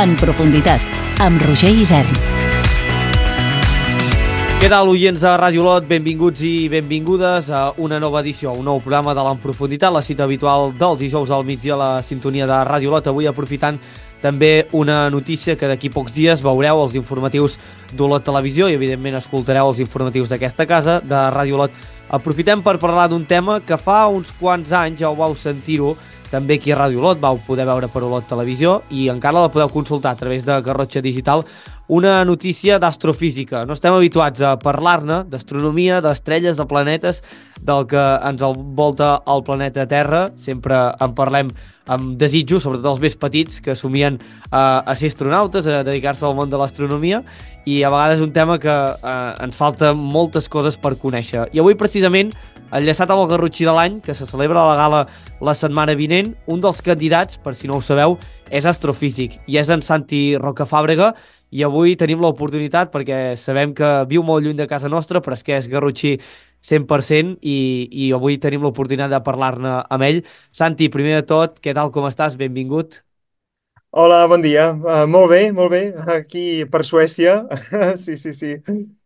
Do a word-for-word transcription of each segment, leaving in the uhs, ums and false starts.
En profunditat, amb Roger Isern. Què tal, oients de Ràdio Olot? Benvinguts i benvingudes a una nova edició, un nou programa de l'En Profunditat, la cita habitual dels dijous al migdia a la sintonia de Ràdio Olot. Avui aprofitant també una notícia que d'aquí pocs dies veureu els informatius d'Olot Televisió i evidentment escoltareu els informatius d'aquesta casa, de Ràdio Olot. Aprofitem per parlar d'un tema que fa uns quants anys ja ho vau sentir-ho també aquí a Ràdio Olot, vau poder veure per Olot Televisió i encara la podeu consultar a través de Garrotxa Digital, una notícia d'astrofísica. No estem habituats a parlar-ne d'astronomia, d'estrelles, de planetes, del que ens envolta el planeta Terra. Sempre en parlem amb desitjos, sobretot els més petits, que somien eh, a ser astronautes, a dedicar-se al món de l'astronomia, i a vegades és un tema que eh, ens falta moltes coses per conèixer. I avui, precisament, enllaçat amb el Garrotxí de l'any, que se celebra a la gala la setmana vinent, un dels candidats, per si no ho sabeu, és astrofísic, i és en Santi Rocafàbrega, i avui tenim l'oportunitat, perquè sabem que viu molt lluny de casa nostra, però és que és garrotxí cent per cent, i, i avui tenim l'oportunitat de parlar-ne amb ell. Santi, primer de tot, què tal, com estàs? Benvingut. Hola, bon dia. Uh, molt bé, molt bé. Aquí per Suècia. Sí, sí, sí.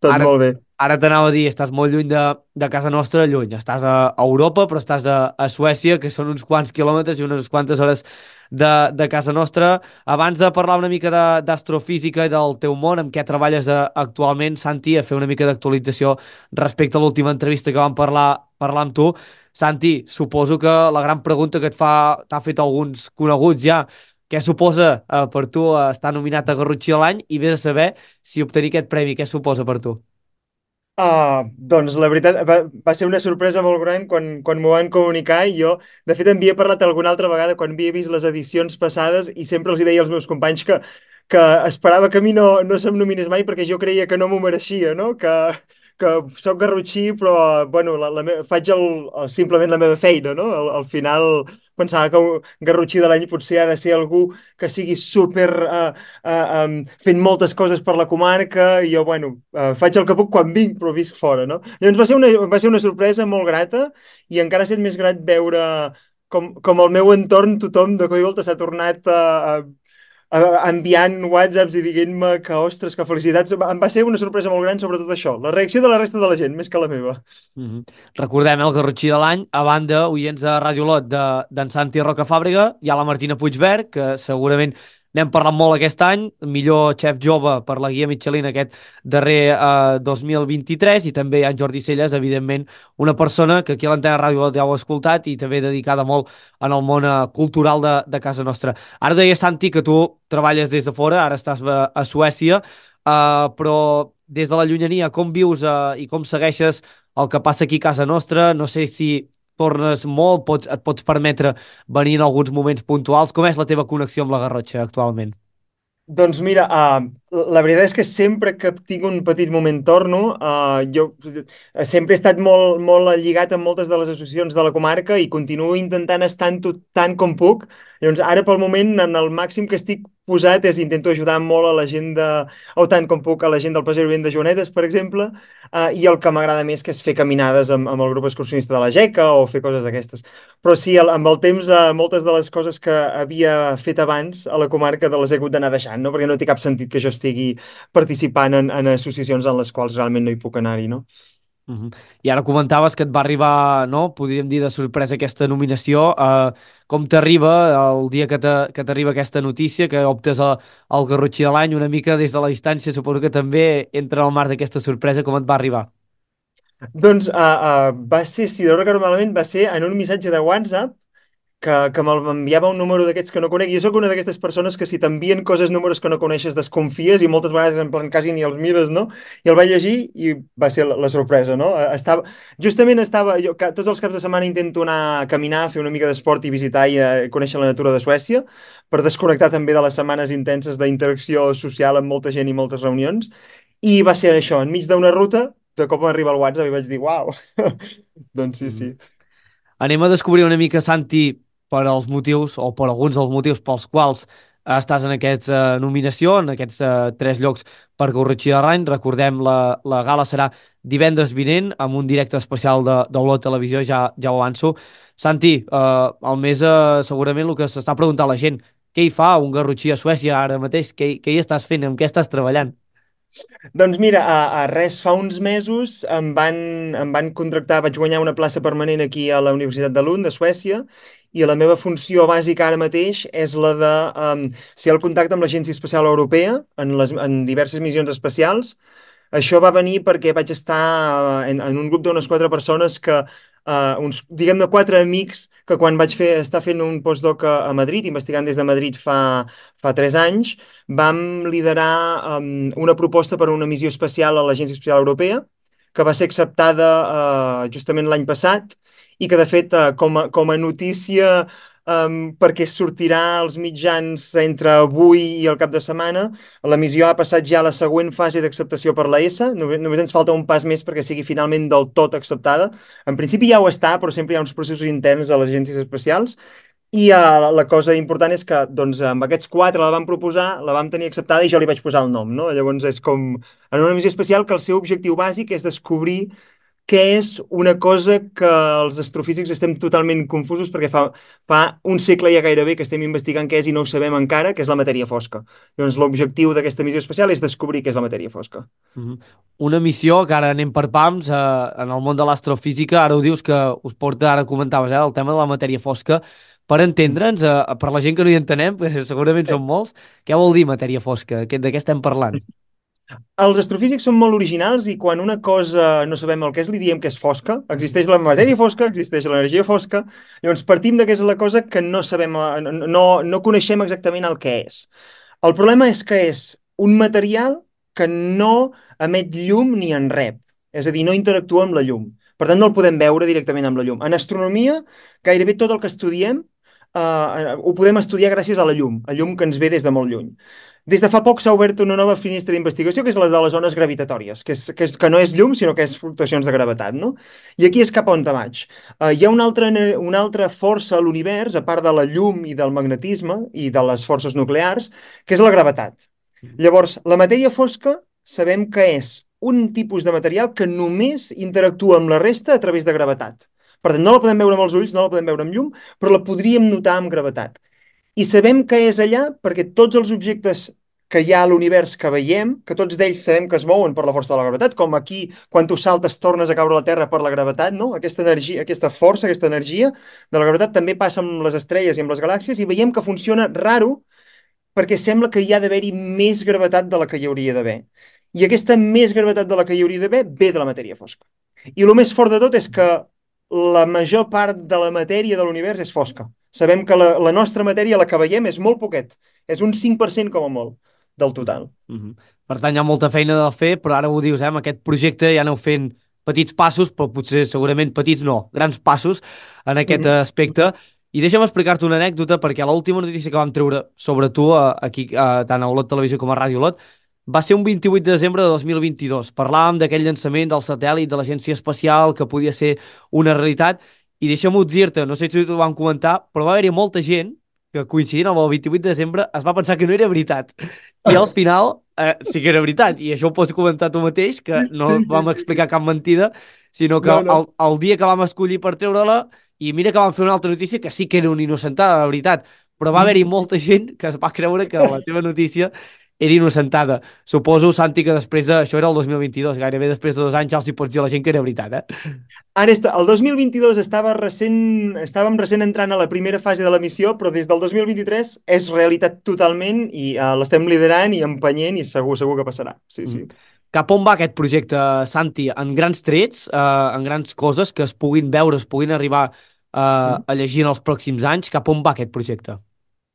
Tot Ara, molt bé. ara t'anava a dir, estàs molt lluny de, de casa nostra, lluny. Estàs a, a Europa, però estàs a, a Suècia, que són uns quants quilòmetres i unes quantes hores de, de casa nostra. Abans de parlar una mica de- d'astrofísica i del teu món, amb què treballes a, actualment, Santi, a fer una mica d'actualització respecte a l'última entrevista que vam parlar, parlar amb tu. Santi, suposo que la gran pregunta que et fa, t'ha fet alguns coneguts ja, què suposa eh, per tu eh, estar nominat a Garrotxí de l'any i vés a saber si obtenir aquest premi, què suposa per tu? Ah, doncs la veritat va, va ser una sorpresa molt gran quan, quan m'ho van comunicar i jo, de fet, en havia parlat alguna altra vegada quan havia vist les edicions passades i sempre els hi deia als meus companys que, que esperava que a mi no, no se'm nominés mai perquè jo creia que no m'ho mereixia, no? Que, que soc garrotxí, però, bueno, la, la me... faig el, el, simplement la meva feina, no? Al, al final pensava que un garrotxí de l'any potser ha de ser algú que sigui super... Uh, uh, um, fent moltes coses per la comarca i jo, bueno, uh, faig el que puc quan vinc, però visc fora, no? Llavors va ser una, va ser una sorpresa molt grata i encara ha estat més grat veure com, com el meu entorn, tothom de cop i volta s'ha tornat a, a, a enviant whatsapps i dient-me que, ostres, que felicitats. Em va ser una sorpresa molt gran sobre tot això. La reacció de la resta de la gent, més que la meva. Mm -hmm. Recordem eh, el Garrotxí de l'any, a banda, oients de Ràdio Olot, de- d'en Santi Rocafàbrega, hi ha la Martina Puigverd, que segurament n'hem parlat molt aquest any, millor xef jove per la guia Michelin aquest darrer eh, dos mil vint-i-tres, i també hi ha en Jordi Celles, evidentment, una persona que aquí a l'antena Ràdio Olot ja ho heu escoltat i també dedicada molt en el món eh, cultural de, de casa nostra. Ara deia, Santi, que tu treballes des de fora, ara estàs a, a Suècia, eh, però des de la llunyania, com vius eh, i com segueixes el que passa aquí a casa nostra? No sé si tornes molt, pots, et pots permetre venir en alguns moments puntuals. Com és la teva connexió amb la Garrotxa actualment? Doncs mira, uh, la veritat és que sempre que tinc un petit moment torno, uh, jo eh, sempre he estat molt, molt lligat amb moltes de les associacions de la comarca i continuo intentant estar tot tant com puc. Llavors, ara pel moment, en el màxim que estic posat és intento ajudar molt a la gent de, o tant com puc, a la gent del Passeig Vent de Joanetes, per exemple, uh, i el que m'agrada més que és fer caminades amb, amb el grup excursionista de la Geca o fer coses d'aquestes. Però sí, el, amb el temps, uh, moltes de les coses que havia fet abans a la comarca de les he hagut d'anar deixant, no? Perquè no té cap sentit que jo estigui participant en, en associacions en les quals realment no hi puc anar-hi, no? Uh -huh. I ara comentaves que et va arribar, no?, podríem dir de sorpresa aquesta nominació. Uh, com t'arriba el dia que te- que t'arriba aquesta notícia, que optes a, al Garrotxí de l'any una mica des de la distància? Suposo que també entra al marc d'aquesta sorpresa. Com et va arribar? Doncs uh, uh, va ser, si no recordo malament, va ser en un missatge de WhatsApp que, que m'enviava un número d'aquests que no conec. Jo sóc una d'aquestes persones que si t'envien coses, números que no coneixes, desconfies i moltes vegades en plan quasi ni els mires, no? I el vaig llegir i va ser la, la sorpresa, no? Eh, Estava, justament estava, jo ca- tots els caps de setmana intento anar a caminar, fer una mica d'esport i visitar i eh, conèixer la natura de Suècia per desconnectar també de les setmanes intenses d'interacció social amb molta gent i moltes reunions. I va ser això, enmig d'una ruta, de cop m'arriba el WhatsApp i vaig dir, uau! Doncs sí, Uh -huh. sí. Anem a descobrir una mica, Santi, per als motius, o per alguns dels motius pels quals eh, estàs en aquesta nominació, en aquests eh, tres llocs per Garrotxí de l'any. Recordem, la, la gala serà divendres vinent, amb un directe especial de, d'Olot Televisió, ja, ja ho avanço. Santi, eh, el més, eh, segurament el que s'està preguntant la gent, què hi fa un garrotxí a Suècia ara mateix? Què, què hi estàs fent? Amb què estàs treballant? Doncs mira, a, a res fa uns mesos em van, em van contractar, vaig guanyar una plaça permanent aquí a la Universitat de Lund, de Suècia, i la meva funció bàsica ara mateix és la de um, ser el contacte amb l'Agència Espacial Europea en, les, en diverses missions espacials. Això va venir perquè vaig estar eh, en, en un grup d'unes quatre persones que, uh, uns, diguem-ne, quatre amics que quan vaig fer, estar fent un postdoc a, a Madrid, investigant des de Madrid fa, fa tres anys, vam liderar um, una proposta per a una missió espacial a l'Agència Espacial Europea, que va ser acceptada uh, justament l'any passat i que, de fet, uh, com a, com a notícia um, perquè sortirà als mitjans entre avui i el cap de setmana, la missió ha passat ja a la següent fase d'acceptació per la ESA. Només, només ens falta un pas més perquè sigui finalment del tot acceptada. En principi ja ho està, però sempre hi ha uns processos interns a les agències espacials. I uh, la cosa important és que doncs, amb aquests quatre la vam proposar, la vam tenir acceptada i jo li vaig posar el nom. No? Llavors és com en una missió espacial que el seu objectiu bàsic és descobrir què és una cosa que els astrofísics estem totalment confusos perquè fa, fa un segle ja gairebé que estem investigant què és i no ho sabem encara, que és la matèria fosca. Doncs l'objectiu d'aquesta missió espacial és descobrir què és la matèria fosca. Mhm. Una missió que ara anem per pams eh, en el món de l'astrofísica, ara ho dius que us porta, ara comentaves, eh, el tema de la matèria fosca, per entendre'ns, eh, per la gent que no hi entenem, perquè segurament són molts, què vol dir matèria fosca? Què- De què estem parlant? Els astrofísics són molt originals i quan una cosa no sabem el que és, li diem que és fosca. Existeix la matèria fosca, existeix l'energia fosca. Llavors partim de que és la cosa que no sabem, eh, no, no coneixem exactament el que és. El problema és que és un material que no emet llum ni en rep. És a dir, no interactua amb la llum. Per tant, no el podem veure directament amb la llum. En astronomia, gairebé tot el que estudiem eh, ho podem estudiar gràcies a la llum, a llum que ens ve des de molt lluny. Des de fa poc s'ha obert una nova finestra d'investigació, que és la de les ones gravitatòries, que, és, que, és, que no és llum, sinó que és fluctuacions de gravetat, no? I aquí és cap on te vaig. Uh, hi ha una altra, una altra força a l'univers, a part de la llum i del magnetisme i de les forces nuclears, que és la gravetat. Llavors, la matèria fosca sabem que és un tipus de material que només interactua amb la resta a través de gravetat. Per tant, no la podem veure amb els ulls, no la podem veure amb llum, però la podríem notar amb gravetat. I sabem que és allà perquè tots els objectes que hi ha a l'univers que veiem, que tots d'ells sabem que es mouen per la força de la gravetat, com aquí, quan tu saltes, tornes a caure a la Terra per la gravetat, no? Aquesta energia, aquesta força, aquesta energia de la gravetat també passa amb les estrelles i amb les galàxies i veiem que funciona raro perquè sembla que hi ha d'haver-hi més gravetat de la que hi hauria d'haver. I aquesta més gravetat de la que hi hauria d'haver ve de la matèria fosca. I el més fort de tot és que la major part de la matèria de l'univers és fosca. Sabem que la, la nostra matèria, la que veiem, és molt poquet. És un cinc per cent com a molt del total. Mm -hmm. Per tant, hi ha molta feina de fer, però ara ho dius, eh? Amb aquest projecte ja aneu fent petits passos, però potser segurament petits no, grans passos en aquest Mm -hmm. aspecte. I deixa'm explicar-te una anècdota, perquè l'última notícia que vam treure sobre tu, eh, aquí, eh, tant a Olot Televisió com a Ràdio Olot, va ser un vint-i-vuit de desembre de dos mil vint-i-dos. Parlàvem d'aquell llançament del satèl·lit de l'Agència Espacial que podia ser una realitat, i deixa'm dir-te, no sé si t'ho vam comentar, però va haver-hi molta gent que coincidint amb el vint-i-vuit de desembre es va pensar que no era veritat. I al final eh, sí que era veritat, i això ho pots comentar tu mateix, que no Sí, sí, vam sí, explicar sí. cap mentida, sinó que No, no. el, el dia que vam escollir per treure-la, i mira que vam fer una altra notícia que sí que era una innocentada, de veritat, però va haver-hi molta gent que es va creure que la teva notícia era innocentada. Suposo, Santi, que després de... Això era el dos mil vint-i-dos, gairebé després de dos anys ja els hi pots dir a la gent que era veritat, eh? Ara, est- el dos mil vint-i-dos estava recent, estàvem recent entrant a la primera fase de la missió, però des del dos mil vint-i-tres és realitat totalment i uh, l'estem liderant i empenyent i segur, segur que passarà. Sí, Mm. sí. Cap on va aquest projecte, Santi? En grans trets, eh, en grans coses que es puguin veure, es puguin arribar eh, Mm. a llegir en els pròxims anys, cap on va aquest projecte?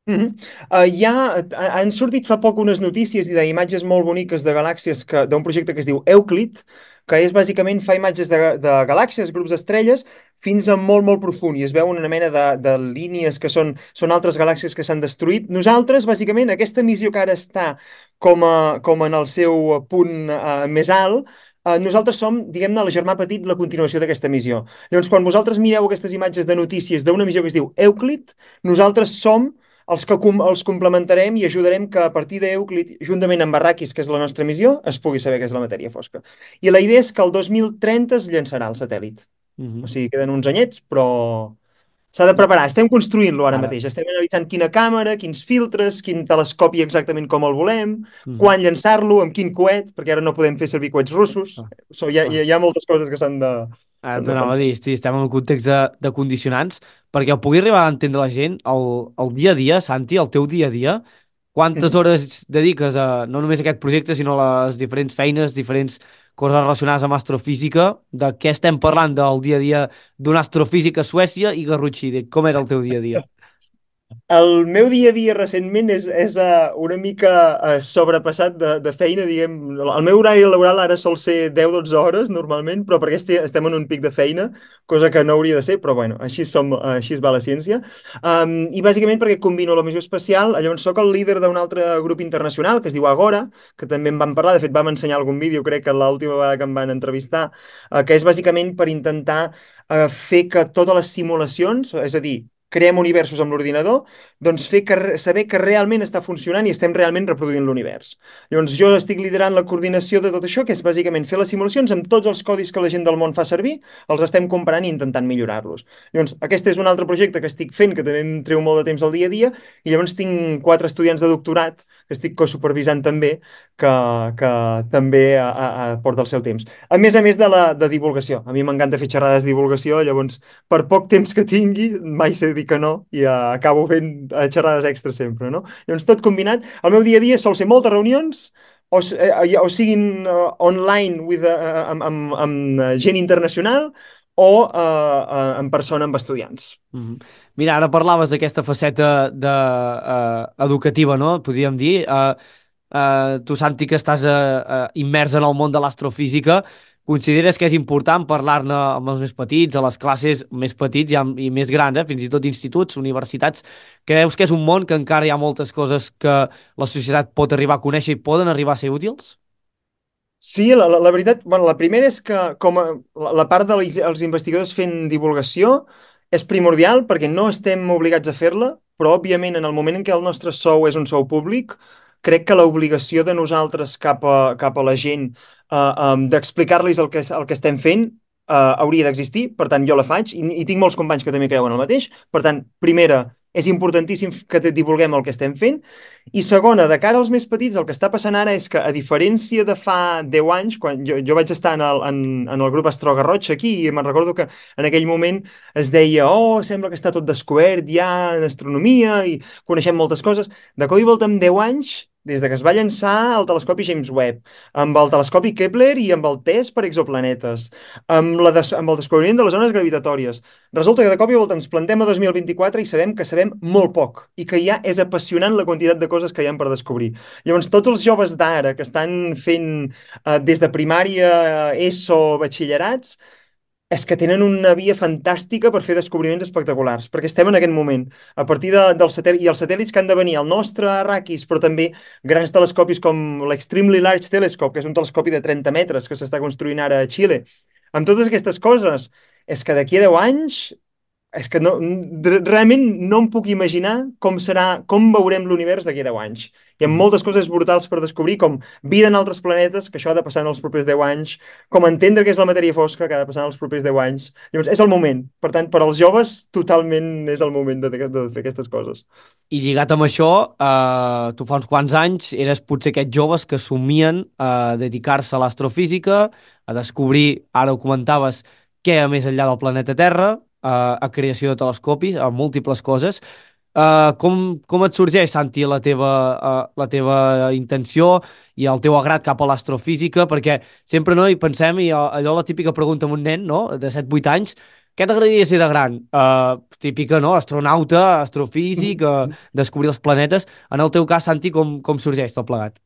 Mhm. Uh, ja ha- han sortit fa poc unes notícies i d'imatges molt boniques de galàxies que- d'un projecte que es diu Euclid, que és bàsicament fa imatges de, de galàxies, grups d'estrelles, fins a molt, molt profund, i es veu una mena de, de línies que són, són altres galàxies que s'han destruït. Nosaltres, bàsicament, aquesta missió que ara està com, a, com en el seu punt uh, més alt, uh, nosaltres som, diguem-ne, el germà petit, la continuació d'aquesta missió. Llavors, quan vosaltres mireu aquestes imatges de notícies d'una missió que es diu Euclid, nosaltres som els que com, els complementarem i ajudarem que a partir d'Euclid, juntament amb Arrakis, que és la nostra missió, es pugui saber què és la matèria fosca. I la idea és que el dos mil trenta es llançarà el satèl·lit. O Mhm. sigui, queden uns anyets, però, S'ha de preparar. Estem construint-lo ara Ara. mateix. Estem analitzant quina càmera, quins filtres, quin telescopi exactament com el volem, Mhm. quan llançar-lo, amb quin coet, perquè ara no podem fer servir coets russos. Ah, So, hi ha, hi ah. ha hi ha moltes coses que s'han de, Ara s'han de t'anava a pensar. dir, sí, estem en un context de, de condicionants, perquè ho pugui arribar a entendre la gent, el, el dia a dia, Santi, el teu dia a dia, quantes Mhm. hores dediques a no només a aquest projecte, sinó a les diferents feines, diferents coses relacionades amb astrofísica, de què estem parlant del dia a dia d'un astrofísic a Suècia i Garrotxí, de com era el teu dia a dia? El meu dia a dia recentment és, és uh, una mica uh, sobrepassat de, de feina, diguem. El meu horari laboral ara sol ser deu dotze hores normalment, però perquè este, estem en un pic de feina, cosa que no hauria de ser, però bueno, així, som, així es va la ciència. Um, I bàsicament perquè combino la missió espacial, llavors sóc el líder d'un altre grup internacional que es diu Agora, que també en vam parlar, de fet vam ensenyar algun vídeo, crec que l'última vegada que em van entrevistar, uh, que és bàsicament per intentar uh, fer que totes les simulacions, és a dir, creem universos amb l'ordinador, doncs fer que, saber que realment està funcionant i estem realment reproduint l'univers. Llavors jo estic liderant la coordinació de tot això, que és bàsicament fer les simulacions amb tots els codis que la gent del món fa servir, els estem comparant i intentant millorar-los. Llavors aquest és un altre projecte que estic fent, que també em treu molt de temps al dia a dia, i llavors tinc quatre estudiants de doctorat que estic cosupervisant també, que, que també a, a, a porta el seu temps. A més a més de la de divulgació. A mi m'encanta fer xerrades de divulgació, llavors per poc temps que tingui, mai sé dir que no, i uh, acabo fent uh, xerrades extra sempre, no? Llavors, tot combinat, el meu dia a dia sol ser moltes reunions, o, s- eh, o siguin uh, online with, uh, amb, amb, amb uh, gent internacional, o uh, uh, en persona amb estudiants. Mhm. Mira, ara parlaves d'aquesta faceta de, uh, educativa, no? Podríem dir. Uh, uh, tu, Santi, que estàs uh, uh, immers en el món de l'astrofísica, consideres que és important parlar-ne amb els més petits, a les classes més petits i, amb, i més grans, eh? Fins i tot instituts, universitats? Creus que és un món que encara hi ha moltes coses que la societat pot arribar a conèixer i poden arribar a ser útils? Sí, la, la, la veritat, bueno, la primera és que com a, la, la part dels els investigadors fent divulgació és primordial perquè no estem obligats a fer-la, però òbviament en el moment en què el nostre sou és un sou públic, crec que l'obligació de nosaltres cap a, cap a la gent uh, um, d'explicar-los el que, el que estem fent uh, hauria d'existir, per tant jo la faig i, i tinc molts companys que també creuen el mateix, per tant, primera, és importantíssim que divulguem el que estem fent, i segona, de cara als més petits, el que està passant ara és que, a diferència de fa deu anys, quan jo, jo vaig estar en el, en, en el grup Astro Garrocha aquí, i me'n recordo que en aquell moment es deia, oh, sembla que està tot descobert ja en astronomia i coneixem moltes coses. De cop i volta, en deu anys, des de que es va llançar el telescopi James Webb, amb el telescopi Kepler i amb el test per exoplanetes, amb, la des amb el descobriment de les zones gravitatòries, resulta que de cop i volta ens plantem a dos mil vint-i-quatre i sabem que sabem molt poc i que ja és apassionant la quantitat de coses que hi ha per descobrir. Llavors, tots els joves d'ara que estan fent eh, des de primària, ESO, batxillerats, és que tenen una via fantàstica per fer descobriments espectaculars, perquè estem en aquest moment. A partir de, del satèl·lit, i els satèl·lits que han de venir, el nostre Arrakis, però també grans telescopis com l'Extremely Large Telescope, que és un telescopi de trenta metres que s'està construint ara a Xile. Amb totes aquestes coses, és que d'aquí a deu anys és que no, realment no em puc imaginar com serà, com veurem l'univers d'aquí a deu anys. Hi ha Mhm. moltes coses brutals per descobrir, com vida en altres planetes, que això ha de passar en els propers deu anys, com entendre què és la matèria fosca, que ha de passar en els propers deu anys. Llavors, és el moment. Per tant, per als joves, totalment és el moment de, de, de fer aquestes coses. I lligat amb això, eh, tu fa uns quants anys eres potser aquests joves que somien a dedicar-se a l'astrofísica, a descobrir, ara ho comentaves, què hi ha més enllà del planeta Terra, eh, a creació de telescopis, a múltiples coses. Eh, com, com et sorgeix, Santi, la teva, uh, la teva intenció i el teu agrat cap a l'astrofísica? Perquè sempre no hi pensem, i uh, allò la típica pregunta amb un nen, no?, de set vuit anys, què t'agradaria ser de gran? Uh, típica, no?, astronauta, astrofísic, uh, descobrir els planetes. En el teu cas, Santi, com, com sorgeix tot plegat?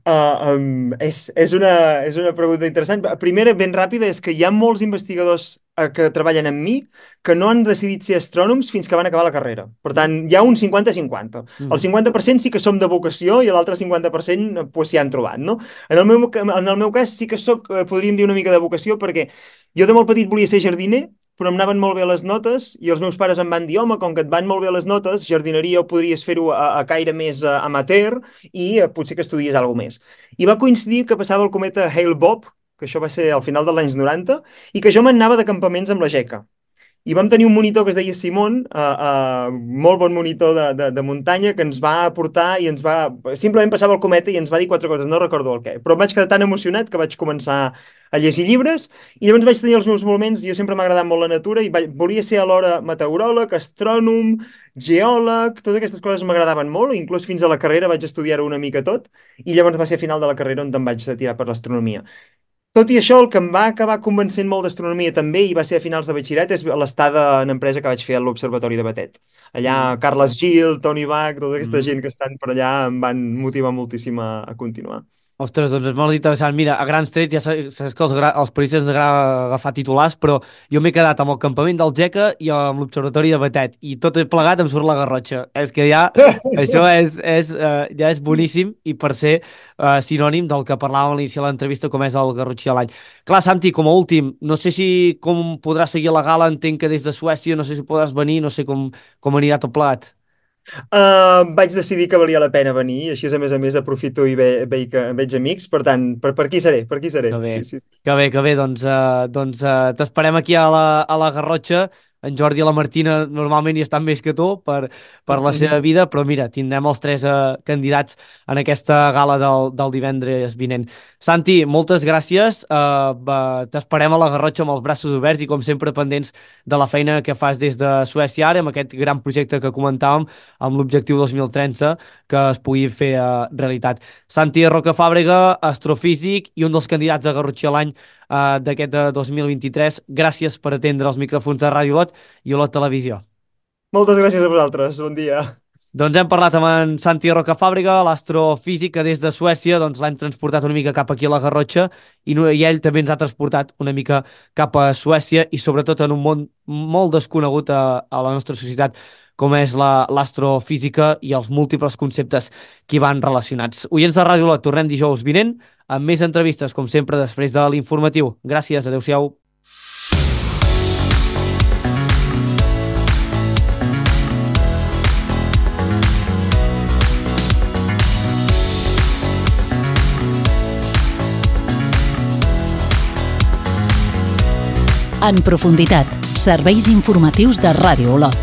Uh, um, és, és, una, és una pregunta interessant. Primera, ben ràpida, és que hi ha molts investigadors uh, que treballen amb mi que no han decidit ser astrònoms fins que van acabar la carrera. Per tant, hi ha un cinquanta cinquanta. El Mm. cinquanta per cent sí que som de vocació i l'altre cinquanta per cent eh, pues, s'hi han trobat, no? En el meu, en el meu cas sí que soc, eh, podríem dir, una mica de vocació, perquè jo de molt petit volia ser jardiner, però em anaven molt bé les notes i els meus pares em van dir, home, com que et van molt bé les notes, jardineria ho podries fer-ho a, a caire més uh, amateur i uh, potser que estudies alguna més. I va coincidir que passava el cometa Hale-Bopp, que això va ser al final dels anys noranta, i que jo m'anava de campaments amb la Geca. i vam tenir un monitor que es deia Simon, uh, uh, molt bon monitor de, de, de muntanya, que ens va aportar i ens va... Simplement passava el cometa i ens va dir quatre coses, no recordo el què. Però em vaig quedar tan emocionat que vaig començar a llegir llibres i llavors vaig tenir els meus moments, jo sempre m'ha agradat molt la natura i vaig, volia ser alhora meteoròleg, astrònom, geòleg, totes aquestes coses m'agradaven molt, inclús fins a la carrera vaig estudiar-ho una mica tot i llavors va ser a final de la carrera on em vaig tirar per l'astronomia. Tot i això, el que em va acabar convencent molt d'astronomia també, i va ser a finals de batxillerat, és l'estada en empresa que vaig fer a l'Observatori de Batet. Allà, Mm. Carles Gil, Toni Bach, tota aquesta Mm. gent que estan per allà em van motivar moltíssim a, a continuar. Ostres, doncs és molt interessant. Mira, a grans trets ja saps, saps que els, gra- als periodistes ens agrada agafar titulars, però jo m'he quedat amb el campament del Geca i amb l'Observatori de Batet, i tot plegat em surt la Garrotxa. És que ja, això és, és, uh, ja és boníssim, i per ser uh, sinònim del que parlàvem a l'inici de l'entrevista, com és el Garrotxí de l'any. Clar, Santi, com a últim, no sé si com podràs seguir la gala, entenc que des de Suècia, no sé si podràs venir, no sé com, com anirà tot plegat. Uh, vaig decidir que valia la pena venir, així a més a més aprofito i ve, ve, que veig amics, per tant, per, per aquí seré, per aquí seré. Que bé, Sí, sí, sí. que bé, que bé, doncs, uh, doncs uh, t'esperem aquí a la, a la Garrotxa. En Jordi i la Martina normalment hi estan més que tu per, per la seva vida, però mira, tindrem els tres uh, candidats en aquesta gala del, del divendres vinent. Santi, moltes gràcies, uh, uh, t'esperem a la Garrotxa amb els braços oberts i com sempre pendents de la feina que fas des de Suècia ara, amb aquest gran projecte que comentàvem, amb l'objectiu dos mil trenta, que es pugui fer uh, realitat. Santi Rocafàbrega, astrofísic i un dels candidats a Garrotxí a l'any uh, d'aquest uh, dos mil vint-i-tres. Gràcies per atendre els micròfons de Ràdio Lot i Olot Televisió. Moltes gràcies a vosaltres, bon dia. Doncs hem parlat amb en Santi Rocafàbrega, l'astrofísic, que des de Suècia doncs, l'hem transportat una mica cap aquí a la Garrotxa i, no, i ell també ens ha transportat una mica cap a Suècia i sobretot en un món molt desconegut a, a la nostra societat com és l'astrofísica i els múltiples conceptes que hi van relacionats. Oients de Ràdio Lot, tornem dijous vinent amb més entrevistes, com sempre, després de l'informatiu. Gràcies, adeu-siau. En profunditat, serveis informatius de Ràdio Olot.